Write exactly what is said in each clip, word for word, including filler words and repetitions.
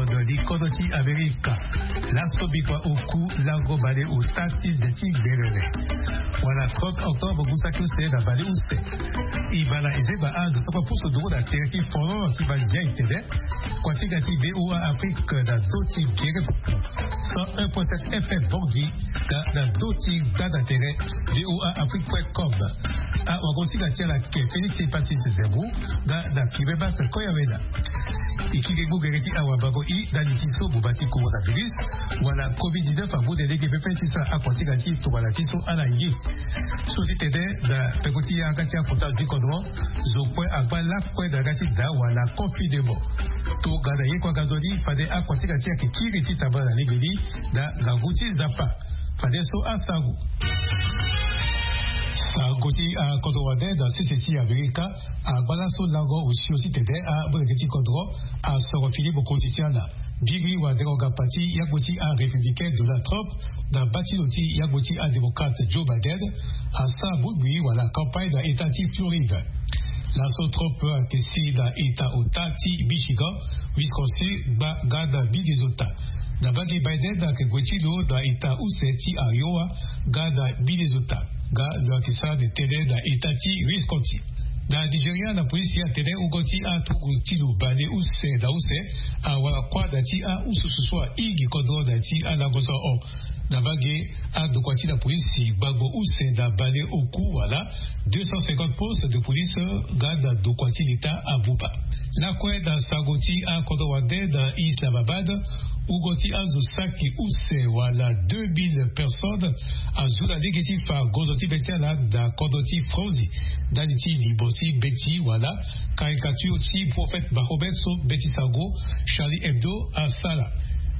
Li kodro ti Amerika. Laso bikua oku lango baleota ti ze ti gberere wala trente octobre gusaki use na baleuse. E bana ezeba ando so kue pusu nduru na tere ti foro ti bandia etene. Kuasinga ti VOA Afrique na do ti gere pupu cent un point sept FM Bangui. Ga na do ti gbanda tere VOA Afrique point com. Awagosinga ti ala ke Félix Epasis Zerbo. Ga na Kiribati Koyawena. E kiri ngu gere ti awabango i ndali ti so buba ti coronavirus wala covid dix-neuf amu de lege pepe ti sara akuasinga ti tongana ti so ala ye. So ti tene na peko ti yanga ti akota zo ti kodro zo kue agba lakue na yanga ti daa wala confinement. Tongana ye kue aga nzoni fade akuasinga ti ayeke kiri ti tambala na lege ni na ngangu ti Nzapa. Fade so asango. Sango ti akodro wande na sese ti Amerika. Agba laso lango osio ti tene amolenge ti kodro asoro fini mokonzi ti ala. Biri wande nganga pati yagbo ti arépublicain Donald Trump na mba ti lo ti yagbo ti adémocrate Joe Biden asara bongbi wala campagne na état ti Floride. Laso Trump ayeke si na état ota ti Michigan, Wisconsin, gba nga na Minnesota. Na mbage Biden ayeke gue ti lo na état use ti Iowa nga na Minnesota. Nga lo yeke sara de tënë na état ti Wisconsin. Na Nigeria, na polisi atene wungo ti aturugu ti lo baleuse na use awara kuâ na ti aususu so ahigi kodro na ya ti alango so ahon. Na mbage, andokua ti la polisi gbagbo use na baleoku wala deux cent cinquante postes de police nga na ndokua ti leta abuba. Lakue na sango ti akodro wande na Islamabad, wungo ti azo saki use wala deux mille personnes azu na lege ti fa gonzo ti be ti ala na kodro ti Franzi ndali ti limo ti mbeti wala caricature ti prophète Mahomet so mbeti sango Charlie Hebdo asara.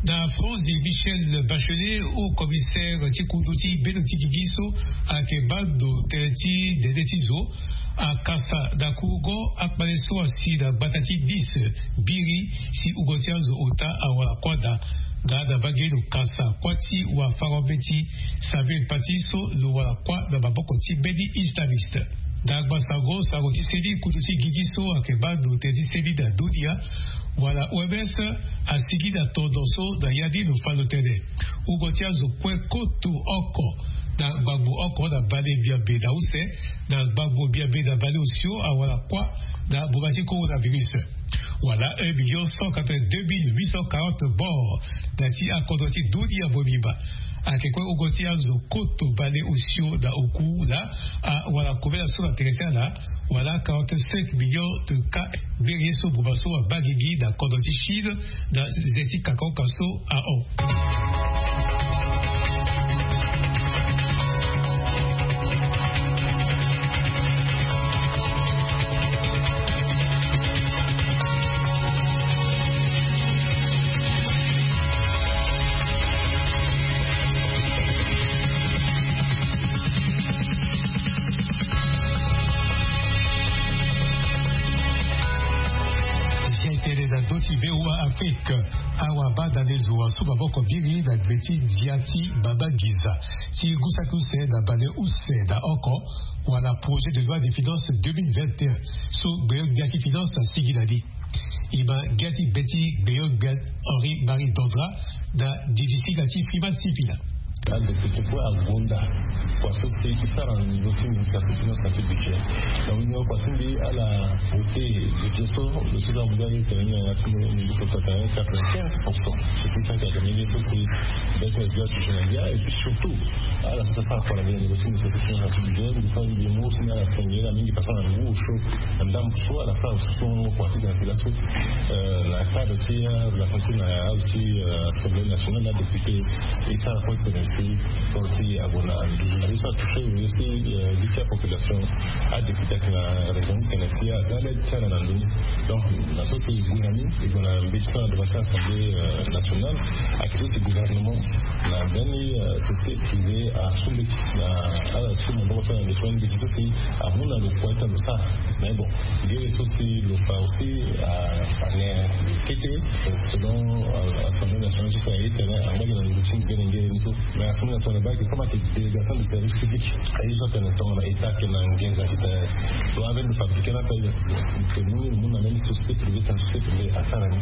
Na Franzi, Michelle Bachelet, haut commissaire ti kundu ti bendo ti gigi so ayeke baa ndo tënë ti dede ti zo, akasa na kurugo akpale so asi na gbata ti Nice biri si wungo ti azo ota awara kuâ daa. Nga na mbage lo kasa kuâ ti wafango-mbeti Samuel Paty so lo wara kuâ na maboko ti mbeni islamiste. Na gbasango sango ti seni, kutu ti gigi so ayeke baa ndo tënë ti seni na dunia wala O M S asigi na tondo so na ya ni lo fa lo tene wungo ti azo kue koto oko na gbagbo oko na bale biabe na use na gbagbo biabe na bale osio awara kuâ na mbuma ti coronavirus. Wala un million cent quatre-vingt-deux mille huit cent quarante morts na ya ti akodro ti dunia mobimba. Ayeke kue wungo ti azo koto bale osio na oku laa awara kobela so na tere ti ala wala quarante-cinq millions de cas. Mbeni ye so buba so abaa gigi na kodro ti Chine na ze ti kakaoka so ahon. Zia etene na ndö ti VOA Afrique. Awa banda lezo asu maboko mbiri na gbe ti ndia ti mama nginza ti ngu saki use na bale use na oko wala projet de loi de finance deux mille vingt et un so gbeyo-gbia ti finance asigi na ni. E ma ngia ti be ti gbeyo-gbia Henri Marie Dandra na didi singa ti Freeman Sipila. Adepite kue agonda kua so si e sara na niveau ti ministère ti finance na ti budget. Donc ni kua ti mbi ala voté budget so lo so za mbi ala tene ni na ya ti mbi fo tene quatre-vingt-quinze pour cent. C'est pour ça que la mairie so si bête na bia ti na bia et puis surtout ala so sara kua na mbi na niveau ti ministère ti finance na ti budget. Mbi fa mbi mu si ni ala senge na mingi parce que na ngu osio na ndambu so ala sara so kua ti tene si laso na cadre ti relation ti na azo ti assemblée nationale na député. E sara kue ti tene si kua ti ague na nduzu na ye so atouché aussi. Gi ti apopulation adéputé ayeke na raison ti tene si aza lê ti ala na ndoni. Donc na so si e gue na ni e gue na mbeti so na devant ti assemblée nationale. Ayeke so si gouvernement na mbeni société privée asu mbeti na ala so maboko ti ala na ndo so mbeti so si amu na lo kua ti tene lo sara. Mais bon, ngere so si lo fa aussi ane kete selon assemblée nationale so si aye tene angba gi na nduru ti ngu gene ngere ni so. Mais assemblée nationale baa gi comme ayeke délégation de service public aye so atene tongana état ayeke na nginza ti tene lo ave lo fabriqué ni ape. Ke mu ni lo mu na même société privée tene société privée asara ni.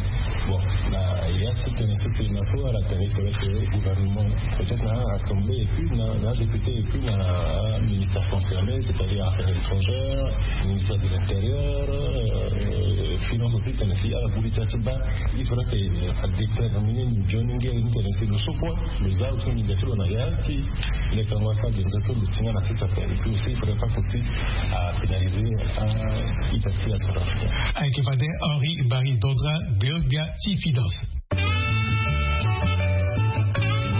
Bon na ya Titene so tene na so ala tene, il faudrait que gouvernement, peut-être na assemblée et puis na député et puis na ministère concerné, c'est-à-dire affaires étrangères, ministère de l'intérieur, finance aussi tene si ala buli ti ati ba. Il faudrait que adétermine ni joni nge ni tene si lo so kue lo za aussi ni jati lo na ya ti le kangua ka de nza to lo tinga na sisa. Et puis aussi il faudrait pas aussi à pénaliser un ita ti la centrafricaine. Ayeke fade Henri Barry Dondra, gbe gbia ti finance.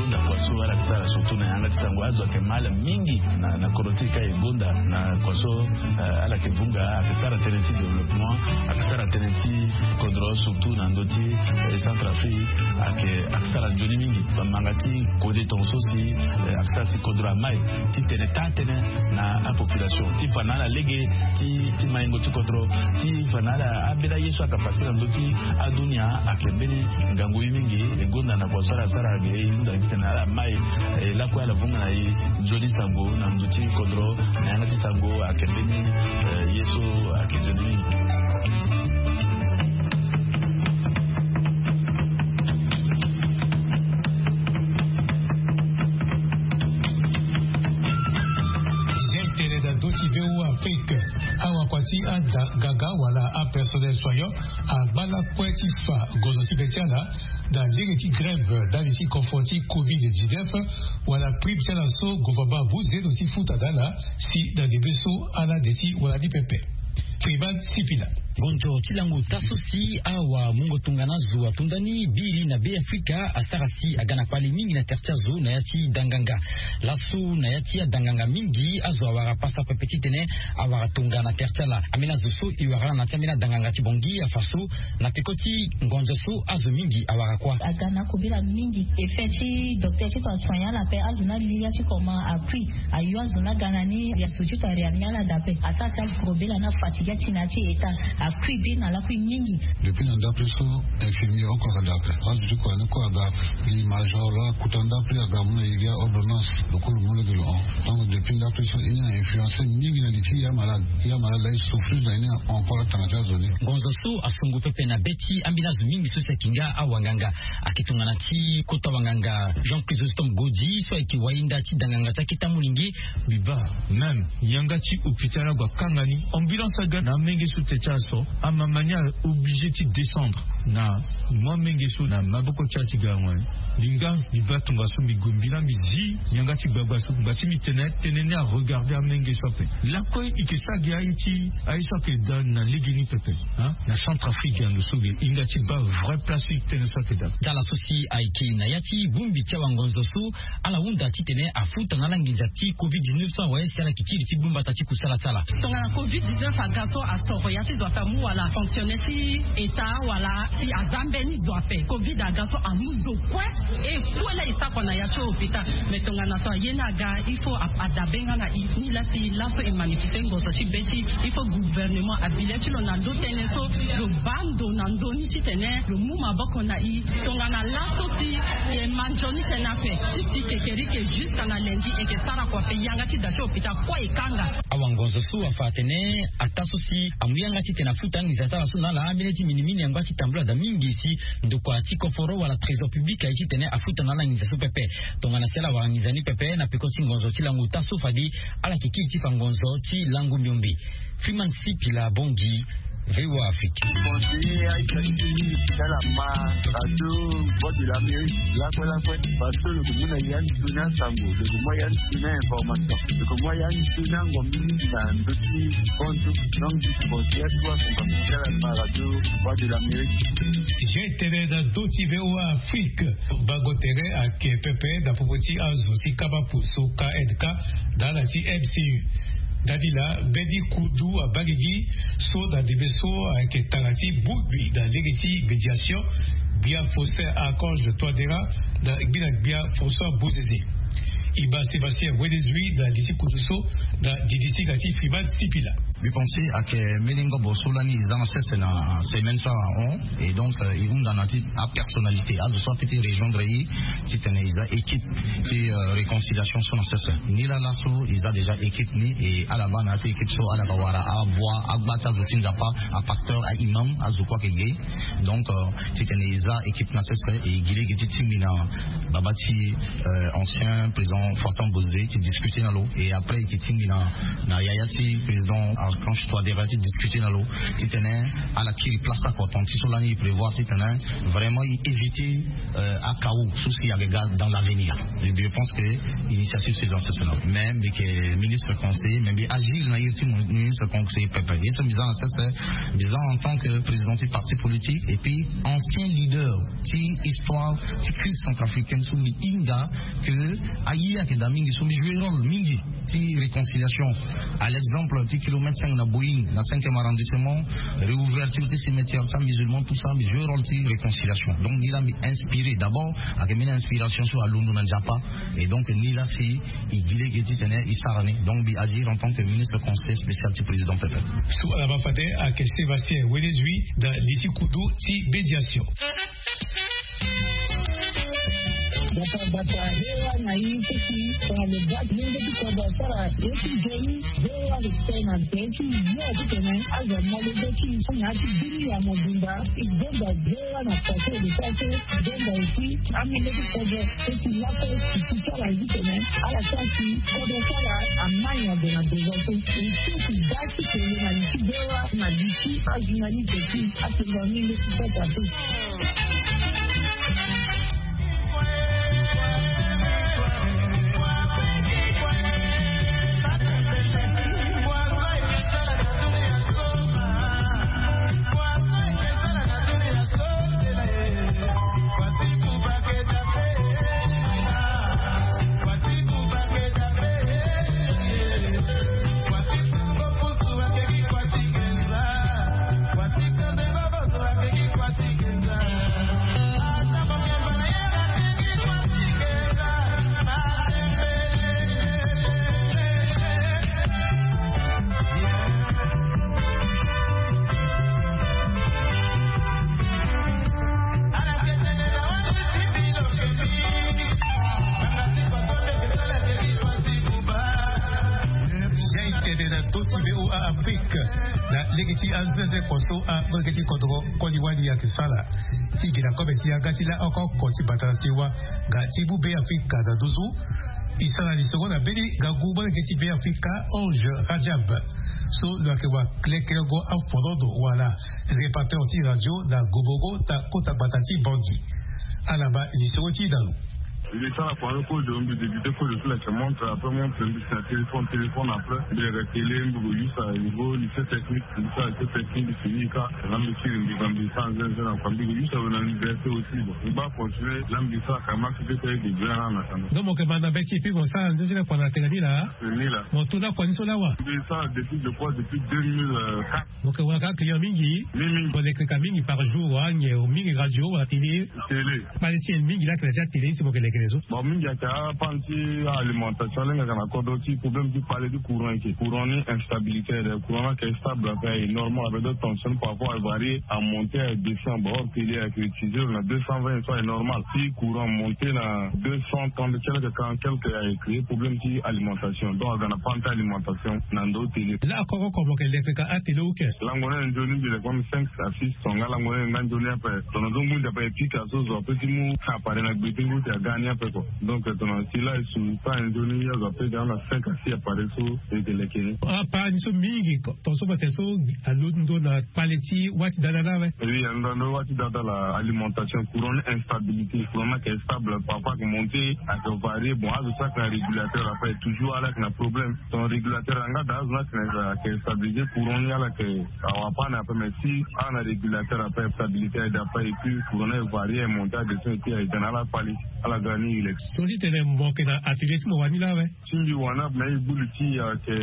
Gonda kua so ala yeke sara surtout na yanga ti sango azo ayeke mal mingi na koro ti e ka e gonda na kua so. Ala yeke vunga ayeke sara tënë ti développement, ayeke sara tënë ti kodro surtout na ndö ti centrafrique. Ayeke sara nzoni mingi bamanga ti kode tonga so si ayeke sara si kodro amai ti tene taa tënë na apopulation ti fa na ala lege ti maingo ti kodro ti fa na ala ambeni aye so ayeke pase na ndö ti adunia. Ayeke mbeni ngangu ye mingi e gonda na kua so ala sara ge e hunda gi tene ala mai. Lakue ala vunga na e nzoni sango na ndö ti kodro na yanga ti sango ayeke mbeni ye so ayeke nzoni mingi. Tene na ndö ti V O A Afrique, awakua ti ada ganga wala apersonnel soignant agba lakue ti fa gonzo ti be ti ala na lege ti grève ndali ti confort ti covid dix-neuf, wala prime ti ala so gouvernement amu zendo ti futa na ala si na ndembe so ala de ti wara ni pepe. Privat Sipila. Ngonzo ti lango ota so si awamungo tongana azo ato ndani biri na Be Afrika asara si aga na kpale mingi na tere ti azo na ya ti danganga. Laso na ya ti adanganga mingi azo awara pasa pepe titene awara tonga na tere ti ala. Ambeni azo so e wara na ya ti ambeni adanganga ti Bangui afa so na peko ti ngonzo so azo mingi awara kua. Aga na akobela mingi. Effet ti docteur ti tongana asoigne ala ape azo ni ali ya ti comment akui. Ayo azo ni aga na ni ya so ti tongana réanimer ala daa ape. Asara ti akobela ni afatigue ati na ya ti état. Akui be na lakui mingi. Depuis na ndapre so infirmier oko aga daa ape. Azo ti kua ni kue aga. Li major la kuta ndapre aga mu na ye gi aordonnance. Lo kue lo mu lege lo hon. Donc depuis ndapre so e ni a influencer mingi na li ti ya malade. Ya malade la e souffrir na e ni encore atanga ti azo ni. Ngonzo so asongo pepe na be ti ambeni azo mingi so si ayeke nga awanganga. Ayeke tongana ti kota wanganga Jean Chrysostome Godi so ayeke wainda ti danganga ti aketa molenge. Mbi baa même yanga ti hôpital ague akanga ni ambulance aga na amenge so te ti ala so amama ni a obligé ti descendre na mo amenge so na maboko ti ala ti ga ngoi. Mbi nga mbi baa tongaso mbi gue mbi laa mbi zi yanga ti gbagba so ngba ti mbi tene tënë ni aregarder amenge so ape. Lakue e yeke sara gi aye ti aye so ayeke daa na legeni pepe. Na Centrafrique ando so ge e hinga ti baa vrai place ti tënë so ayeke daa. Tala so si ayeke na ya ti bongbi ti awangonzo so ala hunda titene afuta na ala nginza ti covid dix-neuf so awe si ala yeke kiri ti gbu mbata ti kusala ti ala. Tongana covid dix-neuf aga so asoro ya ti zo ape amu wala fonctionner ti état wala si aza mbeni zo ape covid aga so amu zo kue. E kue laa e sara kua na ya ti hôpital. Mais tongana so aye ni aga il faut adabe nga na e. Ni laa si laso e manifester ngonzo ti be ti il faut gouvernement abi le ti lo na ndo tënë so lo baa ndo na ndo ni titene lo mu maboko na e. Tongana laso si e ma nzoni tënë ape ti si kekerike jusqu'à na lundi e yeke sara kua ape yanga ti da ti hôpital kue e kanga. Awangonzo so afa atene ataa so si amu yanga titene afuta anginza ti ala so na ala ambeni ti minimini angba ti tambula daa mingi si ndokua ti koforo wala trésor public aye titene afuta na ala nginza so pepe. Tongana si ala wara nginza ni pepe na peko ti ngonzo ti lango ota so fade ala yeke kiri ti fa ngonzo ti lango miombe. Freeman Sipila Bongi, V O A Afrique. Conseiller aita ti teni ti ala ma radio Voix de l'Amérique lakue lakue. Parce que lo ke mu na ya ni toni asango, lo ke mu ya ni toni information, lo ke mu ya ni toni angombi mingi na ndö ti konzo. Donc conseiller ti wa konzo ti ala ma radio Voix de l'Amérique. Jean tene na ndö ti V O A Afrique. Bango tere ayeke pepe na popo ti azo ti kaba pusu K N K na ala ti M C U. Ndani laa mbeni kundu abaa gigi so na ndembe so ayeke tara ti bongbi na lege ti médiation. Gbia Faustin Archange Touadéra na gbi na gbia François Bozizé. E ma Sébastien Wenezui na li ti kundu so na didi ti ga ti Freeman Sipila. Mbi pense ake mbeni ngobo so lani e za na sese na semaine so ahon. Et donc e hunda na ti apersonnalité azo so ape ti rejoindre e titene e za équipe ti réconciliation so na sese. Ni laa laso e za déjà équipe ni e ala baa na ya ti équipe so ala yeke wara abua agba ti azo ti nzapa, apasteur, aimam, azo kue ayeke ge. Donc titene e za équipe na sese e gi lege ti tingbi na baba ti ancien président Faustin Bozizé ti discuter na lo. Et après e yeke tingbi na na yaya ti président Archange Touadéra ti discuter na lo titene ala kiri place akoton ti so lani e prévoir titene vraiment e éviter akao so si ayeke ga dans l'avenir. Je pense que initiative so e za na sese na mais mbi yeke ministre conseiller mais mbi agir na iri ti ministre conseiller pepe. Ye so mbi za na sese mbi za en tant que président ti parti politique et puis ancien leader ti histoire ti crise centrafricaine so mbi hinga que aye ayeke daa mingi so mbi jouer rôle mingi ti réconciliation. À l'exemple ti kilomètre cinq na Boeing na cinquième arrondissement, réouverture ti cimetière ti amusulman, tout ça mbi jouer rôle ti réconciliation. Donc ni laa mbi inspiré d'abord ayeke mbeni inspiration so alondo na nzapa. Et donc ni laa si e gi lege titene e sara ni. Donc mbi agir en tant que ministre conseiller spécial ti président pepe. So ala baa fade ayeke Sébastien Wenezui na li ti kudu ti médiation. Bata bata hewa na i ti si tongana lo baa ti lenge ti kodro asara ye ti nzoni. Hewa lo tene na nze ti yo titene azo amolenge ti i so na ya ti bini ya mobimba. E gonda hewa na pase lo sara so e gonda aussi amolenge ti kodro so ti laso e ti sara titene ala sara si kodro so ala amai na ndo na ndo so e ti si baa ti tene na li ti hewa na li ti ajournaliste ti atonga mingi ti sasa so. Jai tene na ndö ti V O A Afrique na lege ti anzenze kua so amolenge ti kodro koli wali ayeke sara ti gi na kobe ti yanga ti laoko oko ti bata na sewa. Nga ti mu Be Afrika na nduzu. E sara lisoro na mbeni ngangu molenge ti Be Afrika Ange Rajab so lo yeke wa lekerengo aforondo wala répétiteur ti radio na Gobogo na kota gbata ti Bangui. Ala ma lisoro ti e na lo. Mbi sara kua so kozo mbi débuté kozo ti leke montre après montre mbi si na téléphone téléphone après mbi leke télé mbi go use à niveau lycée technique. Mbi sara lycée technique mbi fini ka na mbi siri mbi ga mbi sara nzenze na kua mbi go use awe na université aussi. Bon mbi baa continuer la mbi sara kama. Mbi sara nzenze na kua na tene ni laa. Ni laa mo to lakua ni so laa wa. Mbi sara depuis je crois depuis deux mille quatre. Mo yeke wara kâ client mingi. Mingi mo leke ka mingi par jour wa nyen mingi radio wala télé. Télé. Kpale ti nyen mingi lakene ti atélé ni si mo yeke lekene so. Bon mingi ayeke apane ti alimentation lenge ayeke na kodro ti problème ti kpale ti courant eke courant ni instabilité ayeke courant ni ayeke stable ape aye normal ape deux tension parfois aye varié amonté aye descend bon or télé ayeke utiliser na deux cent vingt so aye normal si courant monté na deux cent trente ti ala ayeke quarante quelque aye créer problème ti alimentation donc aga na panne ti alimentation na ndo télé. Laa koko oko mo yeke leke ka atélé oke. Lango ni aye nzoni mbi leke mbi cinq à six tonga lango ni aye nga nzoni ape. Tongana zo ngu nzapa e pika so zo ape ti mu appareil na gbe ti ngu ti aga ni ape ko. Donc tongana si laa e su so aye nzoni azo ape ga na cinq à six appareil so e yeke leke ni. Appareil ni so mingi ko tonga so mo tene so alondo na kpale ti wâ ti dada laa awe. Oui alondo na ndo wâ ti dada la alimentation courant ni instabilité courant ni ayeke stable parfois ayeke monté ayeke varié bon azo so ayeke na régulateur ape toujours ala yeke na problème. Ton régulateur anga da azo ni ayeke na ayeke stabilisé courant ni ala yeke awa panne ape mais si ala na régulateur ape stabilité aye da ape et puis courant ni aye varié aye monté aye descend et puis aye ga na ala kpale. Ala ga ni e leke. Tonga ti tene mo yeke na atelier ti mo wani laa awe. Ti mbi wani ape na e gbu li ti e ayeke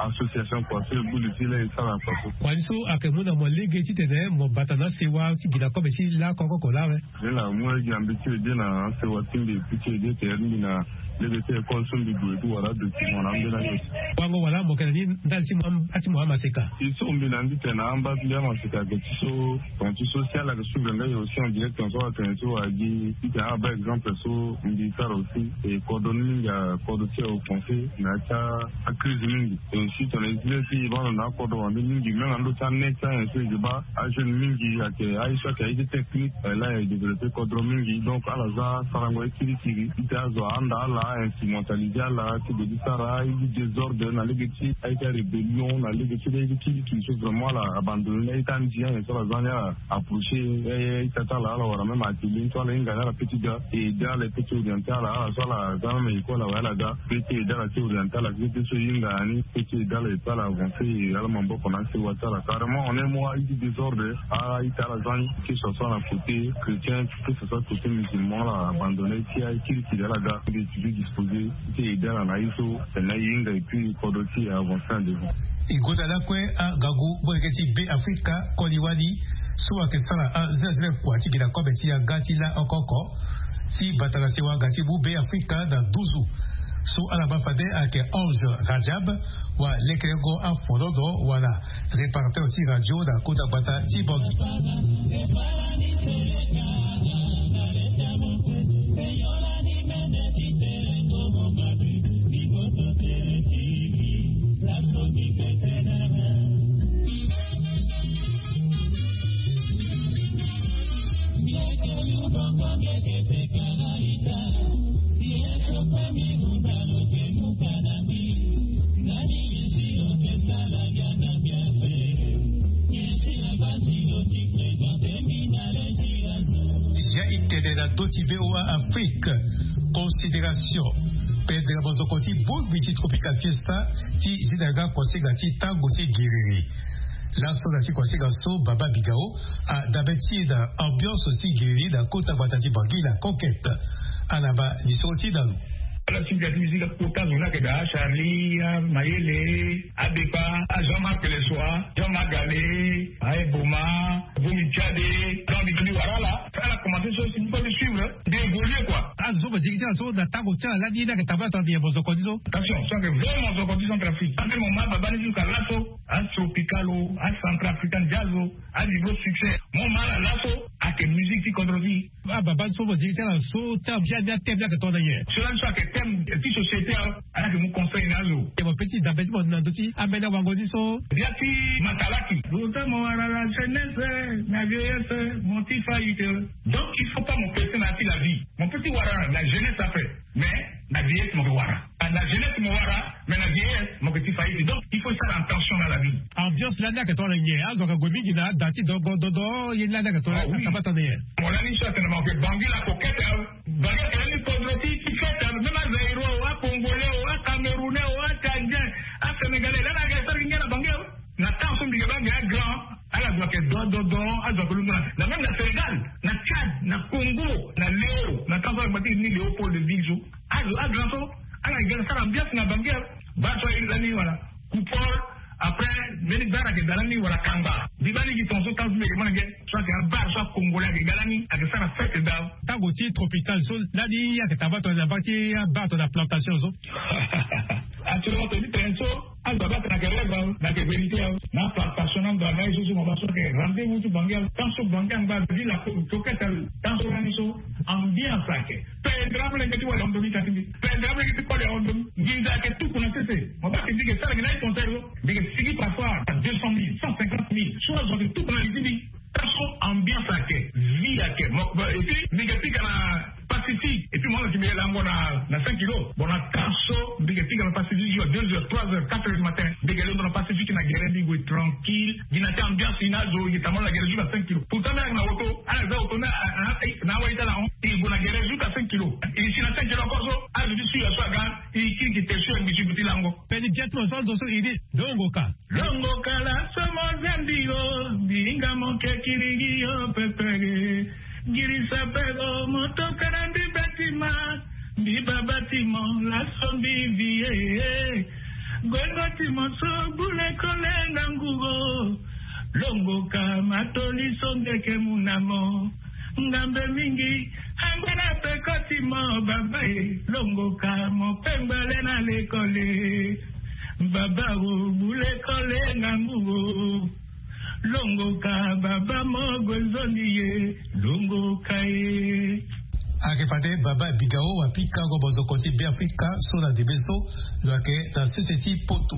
association kua so e gbu li ti e laa e sara kua so. Wani so ayeke mu na mo lege titene mo bata na asewa ti gi na kobe ti lakoko laa awe. Ni la mu lege na mbi ti e de na asewa ti mbi e pu ti e de tere ti mbi na Lege ti école so mbi gue ti wara document na ambeni aye. Wango wala mo yeke na ni ndali ti mo am- ati mo amaseka. Ti so mbi na ni ti tene na amba ti mbi amaseka ayeke ti so, tongana ti so si ala yeke suivre nga ye aussi en direct, tongana so atene so agi ti tene ala baa exemple so mbi sara aussi. E kodro ni mingi akodro ti aoffense na ya ti acrise mingi. Et aussi tongana e zi ti e baa na akodro wande mingi même na ndö ti anet ti ayen so e yeke baa ajeune mingi ayeke aye so ayeke aye ti technique. Là e développe kodro mingi, donc ala za sarango ye kirikiri ti tene azo ahanda ala, a instrumentaliser ala ti gue ti sara aye ti désordre na lege ti aye ti arébellion na lege ti aye ti kirikiri so vraiment ala abandonne ni aye ti andi ayen so ala za ni ala approcher aye ti ata ala ala wara même atelier ni so ala hinga ni ala peut ti ga et aider ala e peut ti orienter ala ala so ala za même école awe ala ga. Pe ti aider ala ti orienter ala ti so e hinga ni pe ti aider ala e pe ala avancer ala maboko na asewa ti ala carrément en un mois aye ti désordre. Aye ti ala za ni que ce soit na côté chrétien que ce soit côté musulman ala abandonne ti aye kirikiri ala ga. Mbi ti disposer ti aider ala na ye so tene na e hinga et puis kodro ti e avancer en devant. E gonda lakue angangu molenge ti Be Afrika koli wali so ayeke sara azelazela kua ti gi na kobe ti yanga ti la oko oko ti bata na sewa ga ti mu Be Afrika na nduzu. So ala baa fade ayeke Ange Rajab, wa lekerengo afonono wala réparateur ti radio na kota gbata ti Bangui. Ya e tene na ndö ti V O A Afrique, considération. Pendere mozoko ti bongbi ti Tropical Fiesta ti zi na yanga kuasinga ti tango ti giriri. Laso na ti kuasinga so Baba Bigao adabe ti e na ambiance ti giriri na kota gbata ti Bangui na Conquête. Ala baa lisoro ti e na lo. Ala ti ga ti musique akota zo ni ayeke daa Charlie, Mayele, Abepa, Jean-Marc Lessoa, Jean-Marc Gale, Aye Boma, Bomi Tiade. Donc mbi wara ala, ala commencé so si mbi suivre, mbi évoluer quoi. Azo so mo zi gi ti ala so na tango ti ala lani ni ayeke tambula tongana nyen mozoko ni so? Attention, so ayeke vrai mozoko ti Centrafrique. Ande mo ma baba ni jusqu'à laso, aTropical o, aCentrafrican Jazz o, avivre succès. Mo ma ala laso ayeke musique ti kodro ti. Ababa so mo zi gi ti ala so ti ambia ni athème ni ayeke tongana nyen? So lani so ayeke thème ti société awe. Ala yeke mu conseil na azo. E mo pe ti dabe ti mo na ndö ti ambeni awango ni so. Bia ti Matalaki. Lo ta mo wara la jeunesse, na vieillesse mo ti faillite. Donc il faut pas mo presser na ya ti la vie. Mo peut ti wara la jeunesse ape, mais na vieillesse mo ke wara. Na jeunesse mo wara, mais na vieillesse mo ke ti faillite. Donc il faut sara attention na la vie. Ambiance lani ayeke tongana nyen? Azo ayeke gue mingi na ada ti dogo dodo ye ni lani ayeke tongana nyen? Ayeke tongana nyen? Mo lani so atene mo yeke Bangui la Conquête awe. Bangui ayeke lani kodro ti ti fête awe. Même aZaïrois o, aCongolais o, aCamerounais o, aTchadien, aSénégalais lani ayeke sara gi ngia na Bangui awe. Na temps so mbi yeke baa nge agrand, ala zo ayeke do do do, azo ayeke londo na même na Sénégal, na Tchad, na Congo, na Léo, na temps so ala gba ti ni Léopoldville so, azo agrand so ala yeke ga na sara ambiance na Bangui awe. Baa so aye lani wala Coupole. Après mbeni bar ayeke daa lani wala Kangba. Mbi baa ni gi tongaso temps so mbi yeke mona nge so ayeke abar so aCongolais ayeke ga lani ayeke sara fête daa. Tango ti Tropical so lani ayeke tambula tongana nyen na mbage ti abar tongana Plantation so? Actuellement tongana ti tene so, azo abaa tene ayeke rêve awe, mais ayeke vérité awe. Na Plantation na Ndramaye so so mo baa so ayeke rendez-vous ti Bangui awe. Tant so Bangui angba ville awe, Conquête awe. Tant so lani so ambiance ayeke. Pendere amolenge ti wali Andomi ka ti mbi. Pendere amolenge ti koli Andomi. Nginza ayeke tuku na sese. Mo baa ke mbi yeke sara gi na ye concert so, mbi yeke sigi parfois à deux cent mille, cent cinquante mille. So azo ayeke tuku na li ti mbi. Tant so ambiance ayeke, vie ayeke. Mo, mo, et puis mbi yeke pika na Pacifique. Et puis mo na ti mbi yeke lango na, na cinq kilos. Bon, na temps so mbi yeke pika na Pacifique jusqu'à deux heures, trois heures, quatre heures du matin. Mbi yeke londo na Pacifique na gere, mbi gue tranquille. Gi na ti ambiance ni azo, i tambula na gere jusqu'à cinq kilos. Pourtant mbi ayeke na auto, ala za auto na, na, na, na awa ita na hon. I gue na gere jusqu'à cinq kilos. I si na cinq kilos encore so, azo ti su ya so aga, i kiri ki te su ya mbi ti gue ti lango. Pe ni bien ti mo so azo so i di, longo ka. Longo ka laso mo zambi yo, mbi hinga mo ke kirigi yo pepere. Girisa pe o mo toka na mbi batima, mbi baa batima, laso mbi vie. Gwengo ti mo so bule kole ngangu o. Longo ka matoli so nge ke mu na mo. Ngambe mingi, angba na peko ti Mo baba e, longoka, mo pengba le na lekole. Baba o, bu lekole ngangu o. Longoka, baba mo gue nzoni ye. Longoka e. Ayeke fade baba Bigao apika go bozoko ti Beafrika so na debe so. Lo yeke na sese ti poto.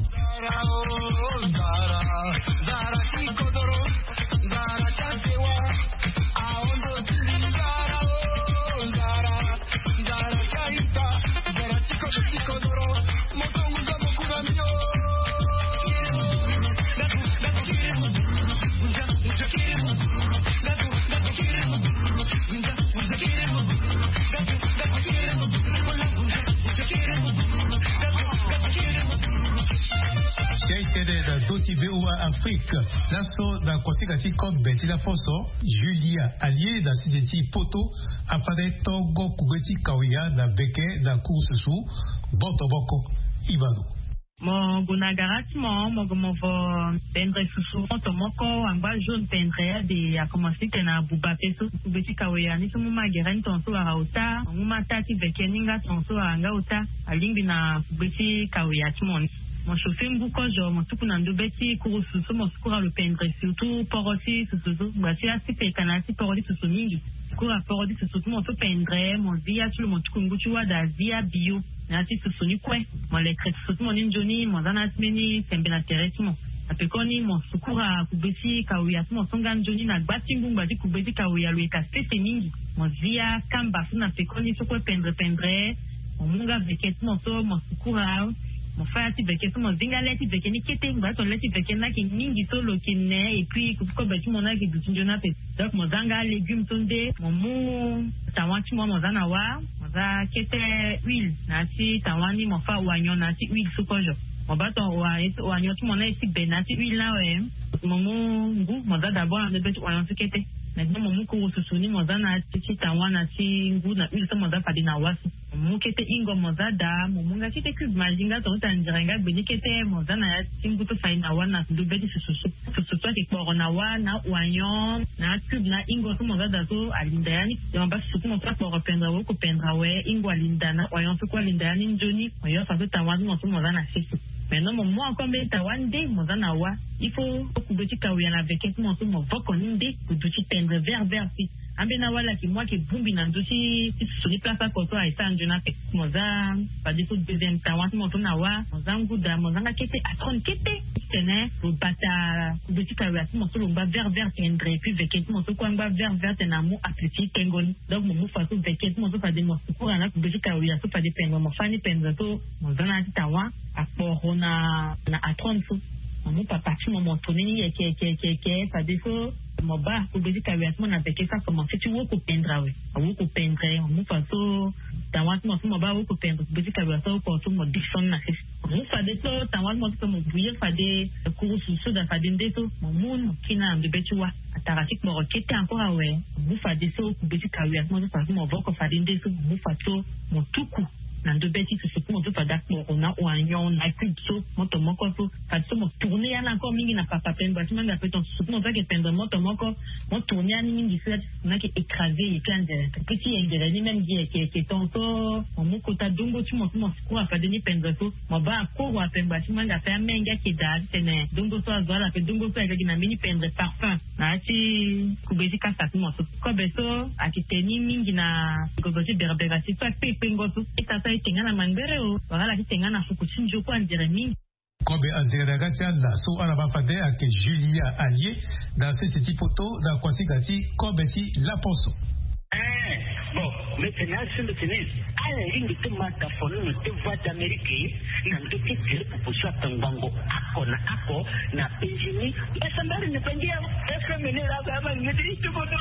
Sey tënë na ndö ti V O A Afrique. Laso na kosika ti kobe ti laposo, Julia Alie na sese ti poto afade tongo kugbe ti kawia na veke na kurususu. Boto moko. Ibalo. Mo gue na gara ti mo, mo gue mo vo pendre susu moto moko wangba jaune pendre ade akomanse titene abuba pe so. Kugbe ti kawia ni so mu ma gere ni tongaso wara ota, mo mu ma taa ti veke ni nga tongaso wara nga ota. Alingbi na kugbe ti kawia ti mo ni. Mo chauffer ngu kozo, mo tuku na ndobe ti kurusu so mo sukura lo pendre, surtout poro ti susu so. Ngba ti ya ti peka na ya ti poro ti susu mingi. Sukura poro ti susu ti mo so pendre, mo zi ya ti lo, mo tuku ngu ti wada, zi ya bio na ya ti susu ni kue. Mo lekre susu ti mo ni nzoni, mo za na ya ti mbeni sembe na tere ti mo. Na pekoni mo sukura kugbe ti kawia ti mo so nga nzoni na gba ti ngu. Ngba ti kugbe ti kawia lo yeke sese mingi. Mo zi ya kamba so na pekoni so kue pendre pendre. Mo mu nga veke ti mo so mo sukura. Mo fâ ya ti veke so mo zi nga le ti veke ni kete. Ngba ti tongana le ti veke ni ayeke mingi so lo yeke ne, et puis kobe ti mo ni ayeke duti nzoni ape. Donc mo za nga légume so nde, mo mu tawa ti mo, mo za na wâ. Mo za kete huile na ya ti tawa ni, mo fâ oignon na ya ti huile so kozo. Mo baa ton oignon ti mo ni aye ti be na ya ti huile ni awe. Mo mu ngu, mo za d'abord na ndobe ti oignon so kete. Maintenant mo mu kurususu ni, mo za na ya ti tawa na ya ti ngu na huile so mo za fade na wâ so. Mo mu kete hingo, mo za daa, mo mu nga kete cube Maggi nga tongaso ti anzere nga gbe ni kete, mo za na ya ti ngu so fade na wâ na ndobe ti susu so. Susu so ayeke kporo na wâ na oignon na cube na hingo so mo za daa so alinda ya ni. Mo baa susu ti mo so akporo pendre awe, awoko pendre awe, hingo alinda na oignon so kue alinda ya ni nzoni. Mo yo faso tawa ti mo so mo za na sese. Maintenant mo mu encore mbeni tawa nde mo za na wâ. Il faut kugbe ti kawia na veke ti mo so mo voko ni nde, lo duti pendre vert vert si. Ambeni awali ayeke mu ayeke bongbi na ndö ti susu ni place oko so aye sara nzoni ape. Mo za fade so deuxième tawa ti mo so na wâ, mo za ngu daa, mo za nga kete atrone kete. Titene lo bata kugbe ti kawia ti mo so lo ngba vert vert tendre, et puis veke ti mo so kue angba vert vert tene amu appétit ti tengo ni. Donc mo mu faso veke ti mo so fade mo sukura na kugbe ti kawia so fade pendre, mo fâ ni pendre so mo za na ya ti tawa akporo na, na atrone so. Mo mu papa ti mo, mo tourner ni yeke yeke yeke yeke, fadeso mo baa kugbe ti kawia ti mo na veke so akomanse ti woko pendre awe. Awoko pendre, mo mu faso tawa ti mo so mo baa awoko pendre, kugbe ti kawia so awoko so mo descendre na sese. Mo mu fadeso tawa ti mo so mo bouillir fade kurusu so daa fade nde so mo mu mo kiri na ndobe ti wâ. Atara ti kporo kete encore awe. Mo mu fadeso kugbe ti kawia ti mo so faso mo voko fade nde so, mo mu faso mo tuku na ndobe ti susu ti mo so fade akporo na oignon na cube so moto moko so. Fadeso mo tourner ya ni encore mingi na papa pendre ti mo anga pe ton susu ti mo so ayeke pendre moto moko. Mo tourner ya ni mingi so ya ti susu ni ayeke écraser ye ti anzere. Pe ti yengere ni même gi yeke yeke ton so mo mu kota dongo ti mo so mo sukura fade ni pendre so. Mo baa akoro ape ngba ti mo anga ape amenge ayeke daa titene dongo so azo ala ape dongo so ayeke gi na mbeni pendre parfum. Na ya ti kugbe ti kasa ti mo so. Kobe so ayeke te ni mingi na gozo ti berbera ti so akpe kpengo so. Ita so aye te nga na mangbere o, wala ala ti te nga na fuku ti nzio kue anzere mingi. Kobe anzere na ya ga ti ala so ala baa fade ayeke Julia Alie na sese ti poto na kuasinga ti kobe ti laposo. Eh, bon, mete na asu mete ni. Ala ringi ti mata fono na te Voix d'Amérique na ndö ti gere proposition atongbango ako na ako na P G ni. Mbasambari ni pangia F M ni la ba ma ni ti tuko no.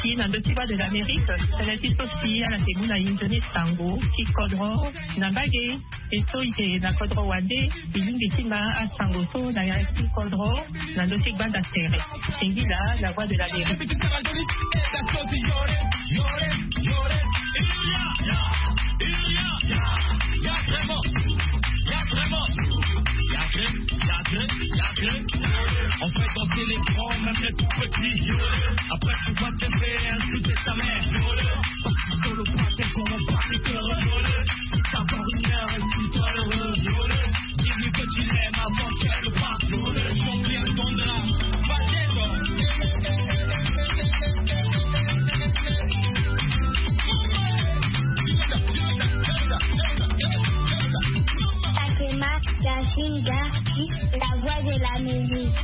Si na ndö ti Voix de l'Amérique, tënë ti so si ala yeke mu na e nzoni sango ti kodro na mbage. E so e yeke na kodro wande, e lingbi ti ma asango so na ya ti kodro na ndö ti gbanda tere. Singila la Voix de l'Amérique. En fait, danser les grands, même les tout petits. Après, tu vas te faire insulter ta mère. Parce que sur le pâté, pour mon pâté, t'es heureux. Si t'as pas une heure, et si t'es heureux. Dis-lui que tu l'aimes avant qu'elle parte. Combien de temps? Fatima Yasinga, la voix de la musique.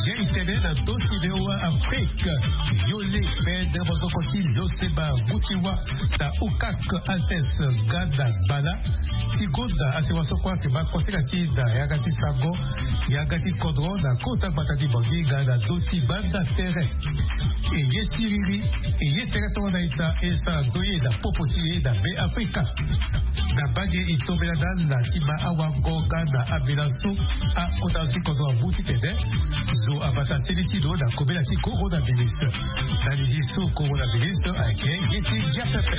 Ye itene na ndö ti V O A Afrique. Yole pe dere bozoko ti loseba guti wa na ukak altes gada bala. Ti gonda asewa so kue ayeke baa koseka ti da yanga ti sango, yanga ti kodro na kota gbata ti Bangui nga na ndö ti gbanda tere. E ye siriri, e ye tere tongana ita e sara ndoye na popo ti e na Be Afrika. Na mbage e tombela na ala ti ma awango nga na ambela so akota zo ti kodro amu titene zo abata seni ti lo na kobela ti coronavirus. Na lidi so coronavirus ayeke ye ti gia pepe.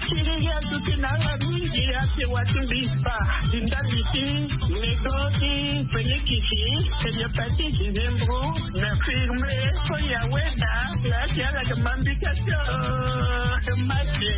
Siriri aduti na ala mingi asewa ti mbi spa ti ndali ti medo ti penikisi, homéopathie, gingembre, na firme so ya weda. Laa ti ala yeke ma mbi kasi mate.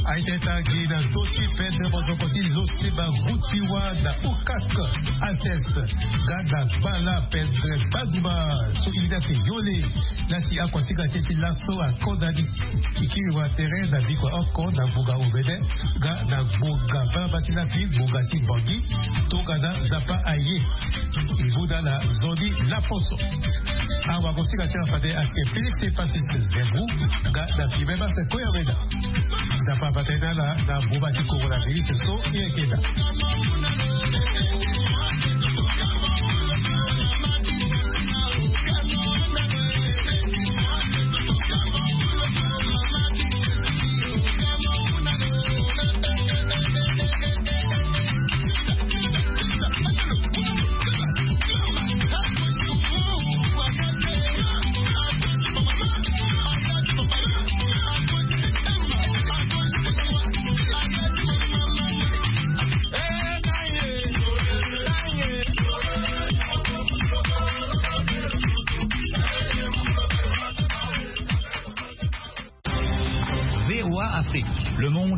Aye tene tangi na ndö ti pendre mozoko ti loseba guti wa na ukak altes gada gbala pendre gbaduma so ida te yole. Lasi akua sika ti e ti laso akonda ni. E kiri wa tere na bikua oko na ngbonga omene nga na ngbonga baba ti lapi ngbonga ti Bangui tongana Nzapa aye. E mu na ala nzoni laposo. Awago sika ti ala fade ayeke Félix Epasis Zembu nga na Guilbert Koyawena. Nzapa afa tënë na ala na mboma ti coronavirus so e yeke daa.